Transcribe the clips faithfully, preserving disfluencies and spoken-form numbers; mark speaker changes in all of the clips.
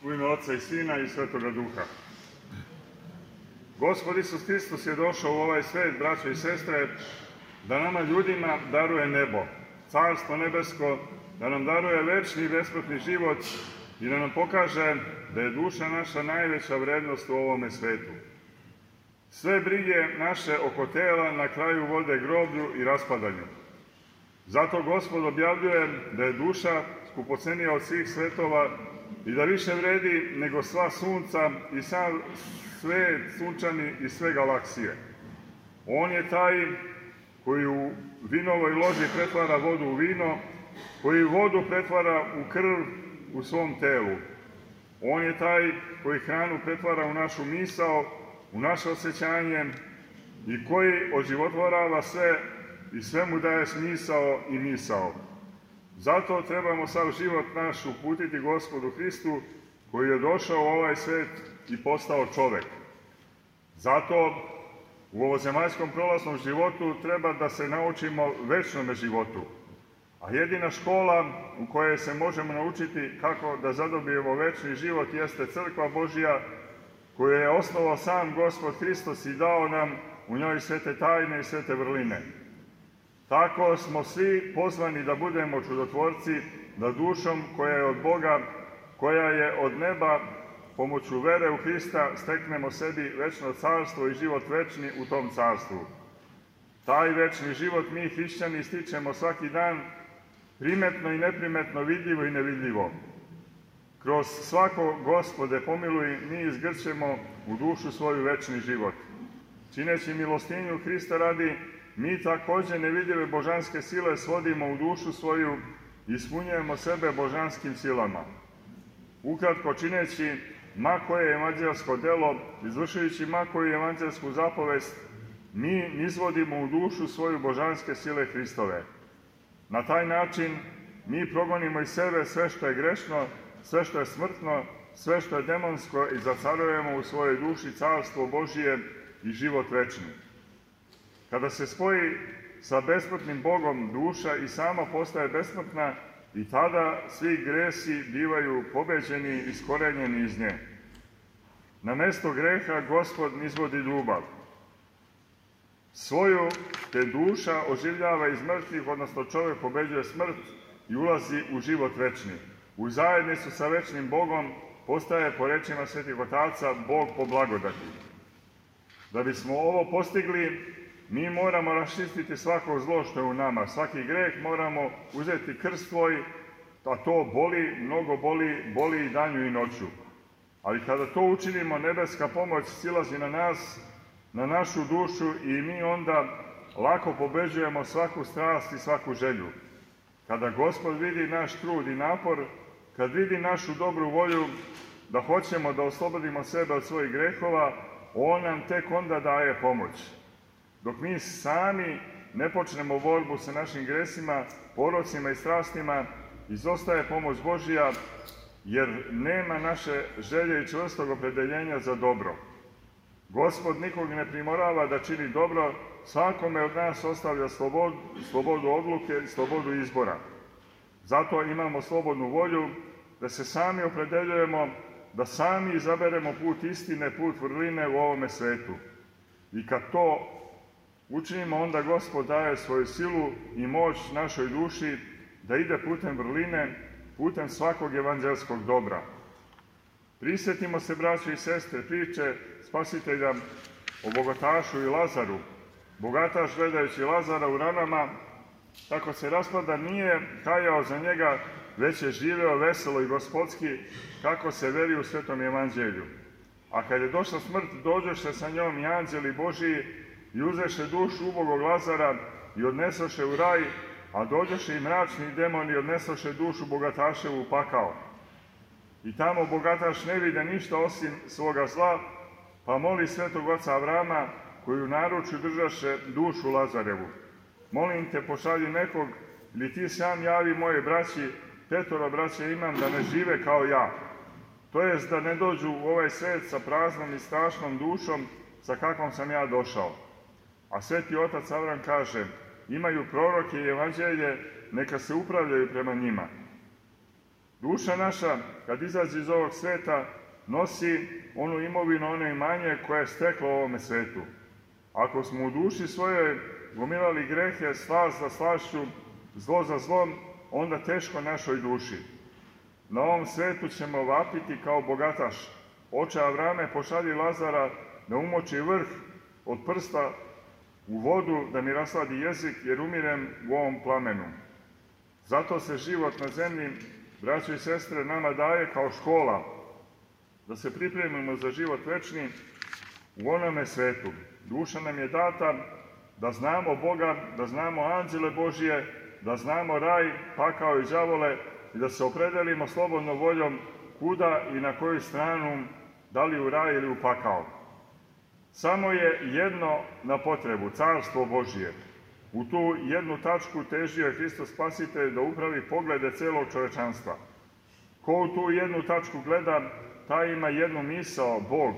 Speaker 1: U ime Oca i Sina i Svetoga Duha. Gospod Isus Hristos je došao u ovaj svet, braćo i sestre, da nama ljudima daruje nebo, carstvo nebesko, da nam daruje večni i besplatni život i da nam pokaže da je duša naša najveća vrednost u ovome svetu. Sve brige naše oko tela na kraju vode groblju i raspadanju. Zato Gospod objavljuje da je duša skupocenija od svih svetova i da više vredi nego sva sunca i sav svet sunčani i sve galaksije. On je taj koji u vinovoj loži pretvara vodu u vino, koji vodu pretvara u krv u svom telu. On je taj koji hranu pretvara u našu misao, u naše osjećanje i koji oživotvorava sve i sve mu daje smisao i misao. Zato trebamo sav život naš uputiti Gospodu Hristu, koji je došao u ovaj svet i postao čovek. Zato u ovozemaljskom prolaznom životu treba da se naučimo večnome životu. A jedina škola u kojoj se možemo naučiti kako da zadobijemo večni život jeste Crkva Božja, koju je osnovao sam Gospod Hristos i dao nam u njoj svete tajne i svete vrline. Tako smo svi pozvani da budemo čudotvorci, da dušom koja je od Boga, koja je od neba, pomoću vere u Hrista steknemo sebi večno carstvo i život večni u tom carstvu. Taj večni život mi, hrišćani, stičemo svaki dan, primetno i neprimetno, vidljivo i nevidljivo. Kroz svako Gospode pomiluj, mi izgrćemo u dušu svoju večni život. Čineći milostinju Hrista radi, mi također nevidljive božanske sile svodimo u dušu svoju i ispunjujemo sebe božanskim silama. Ukratko, čineći ma koje evanđelsko delo, izvršujući ma koju evanđelsku zapovest, mi nizvodimo u dušu svoju božanske sile Hristove. Na taj način mi progonimo iz sebe sve što je grešno, sve što je smrtno, sve što je demonsko i zacarujemo u svojoj duši carstvo Božije i život večni. Kada se spoji sa besmrtnim Bogom, duša i sama postaje besmrtna i tada svi gresi bivaju pobeđeni i iskorenjeni iz nje. Na mesto greha Gospod nizvodi ljubav. Svoju te duša oživljava iz mrtvih, odnosno čovjek pobeđuje smrt i ulazi u život večni. U zajednicu sa večnim Bogom postaje, po rečima svetih otaca, Bog po blagodati. Da bismo ovo postigli, mi moramo raščistiti svako zlo što je u nama. Svaki greh moramo uzeti krst svoj, a to boli, mnogo boli, boli i danju i noću. Ali kada to učinimo, nebeska pomoć silazi na nas, na našu dušu i mi onda lako pobeđujemo svaku strast i svaku želju. Kada Gospod vidi naš trud i napor, kad vidi našu dobru volju da hoćemo da oslobodimo sebe od svojih grehova, on nam tek onda daje pomoć. Dok mi sami ne počnemo borbu sa našim gresima, porocima i strastima, izostaje pomoć Božja, jer nema naše želje i čvrstog opredeljenja za dobro. Gospod nikog ne primorava da čini dobro, svakome od nas ostavlja slobodu, slobodu odluke i slobodu izbora. Zato imamo slobodnu volju da se sami opredeljujemo, da sami izaberemo put istine, put vrline u ovome svetu. I kad to učinimo, onda Gospod daje svoju silu i moć našoj duši da ide putem vrline, putem svakog evanđelskog dobra. Prisjetimo se, braćo i sestre, priče Spasitelja o bogatašu i Lazaru. Bogataš, gledajući Lazara u ranama, tako se raspada, nije kajao za njega, već je živeo veselo i gospodski, kako se veri u Svetom evanđelju. A kad je došla smrt, dođoše sa njom i anđeli Božiji i uzeše dušu ubogog Lazara i odnesoše u raj, a dođoše i mračni demoni i odnesoše dušu bogataševu u pakao. I tamo bogataš ne vide ništa osim svoga zla, pa moli svetog oca Avrama, koji u naručju držaše dušu Lazarevu. Molim te, pošalji nekog, ili ti sam javi moje braći, petoro braće imam, da ne žive kao ja. To jest da ne dođu u ovaj svet sa praznom i strašnom dušom, sa kakvom sam ja došao. A sveti otac Avram kaže, imaju proroke i evanđelje, neka se upravljaju prema njima. Duša naša, kad izađe iz ovog sveta, nosi onu imovinu, ono imanje koje je steklo u ovome svetu. Ako smo u duši svojoj gomilali grehe, slast za slašću, zlo za zlom, onda teško našoj duši. Na ovom svetu ćemo vapiti kao bogataš. Oče Avrame, pošalji Lazara da umoči vrh od prsta u vodu, da mi rasladi jezik, jer umirem u ovom plamenu. Zato se život na zemlji, braćo i sestre, nama daje kao škola, da se pripremimo za život večni u onome svetu. Duša nam je data da znamo Boga, da znamo anđele Božije, da znamo raj, pakao i đavole i da se opredelimo slobodnom voljom kuda i na koju stranu, da li u raj ili u pakao. Samo je jedno na potrebu, carstvo Božije. U tu jednu tačku težio je Hristos Spasitelj da upravi poglede celog čovečanstva. Ko u tu jednu tačku gleda, taj ima jednu misao, Bog,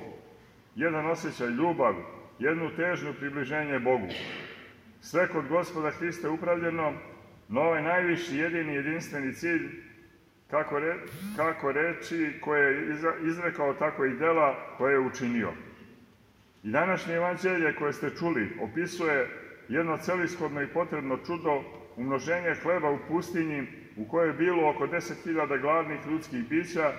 Speaker 1: jedan osjećaj, ljubav, jednu težnju približenje Bogu. Sve kod Gospoda Hrista je upravljeno na ovaj najviši, jedini, jedinstveni cilj, kako, re, kako reči koje je izrekao, tako i dela koje je učinio. I današnje evanđelje koje ste čuli opisuje jedno celishodno i potrebno čudo, umnoženje hleba u pustinji u kojoj je bilo oko deset hiljada gladnih ljudskih bića,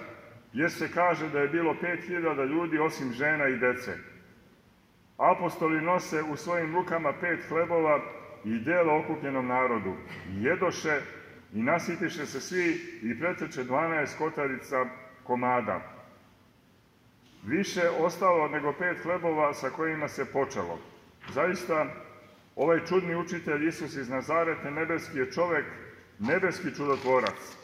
Speaker 1: jer se kaže da je bilo pet hiljada ljudi osim žena i dece. Apostoli nose u svojim rukama pet hlebova i dela okupljenom narodu. I jedoše i nasitiše se svi i preteče dvanaest kotarica komada. Više ostalo nego pet hlebova sa kojima se počelo. Zaista, ovaj čudni učitelj Isus iz Nazareta, nebeski je čovek, nebeski čudotvorac.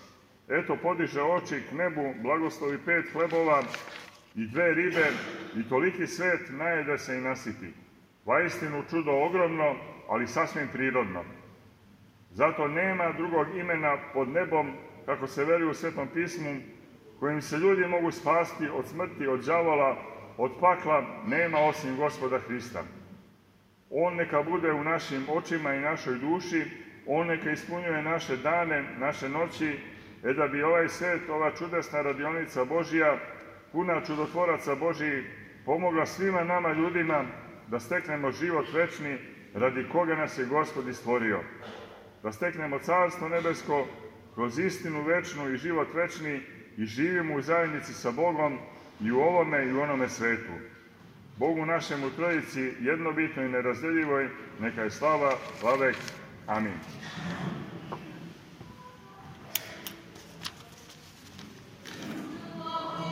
Speaker 1: Eto, podiže oči k nebu, blagoslovi pet hlebova i dve ribe i toliki svet najede se i nasiti. Vaistinu čudo ogromno, ali sasvim prirodno. Zato nema drugog imena pod nebom, kako se veli u Svetom pismu, kojim se ljudi mogu spasti od smrti, od đavola, od pakla, nema osim Gospoda Hrista. On neka bude u našim očima i našoj duši, on neka ispunjuje naše dane, naše noći, e da bi ovaj svet, ova čudesna radionica Božija, puna čudotvoraca Božiji, pomogla svima nama ljudima da steknemo život večni, radi koga nas je Gospod i stvorio. Da steknemo carstvo nebesko kroz istinu večnu i život večni i živimo u zajednici sa Bogom i u ovome i u onome svetu. Bogu našemu Trojici, jednobitnoj i nerazdjeljivoj, neka je slava, vavek. Amin.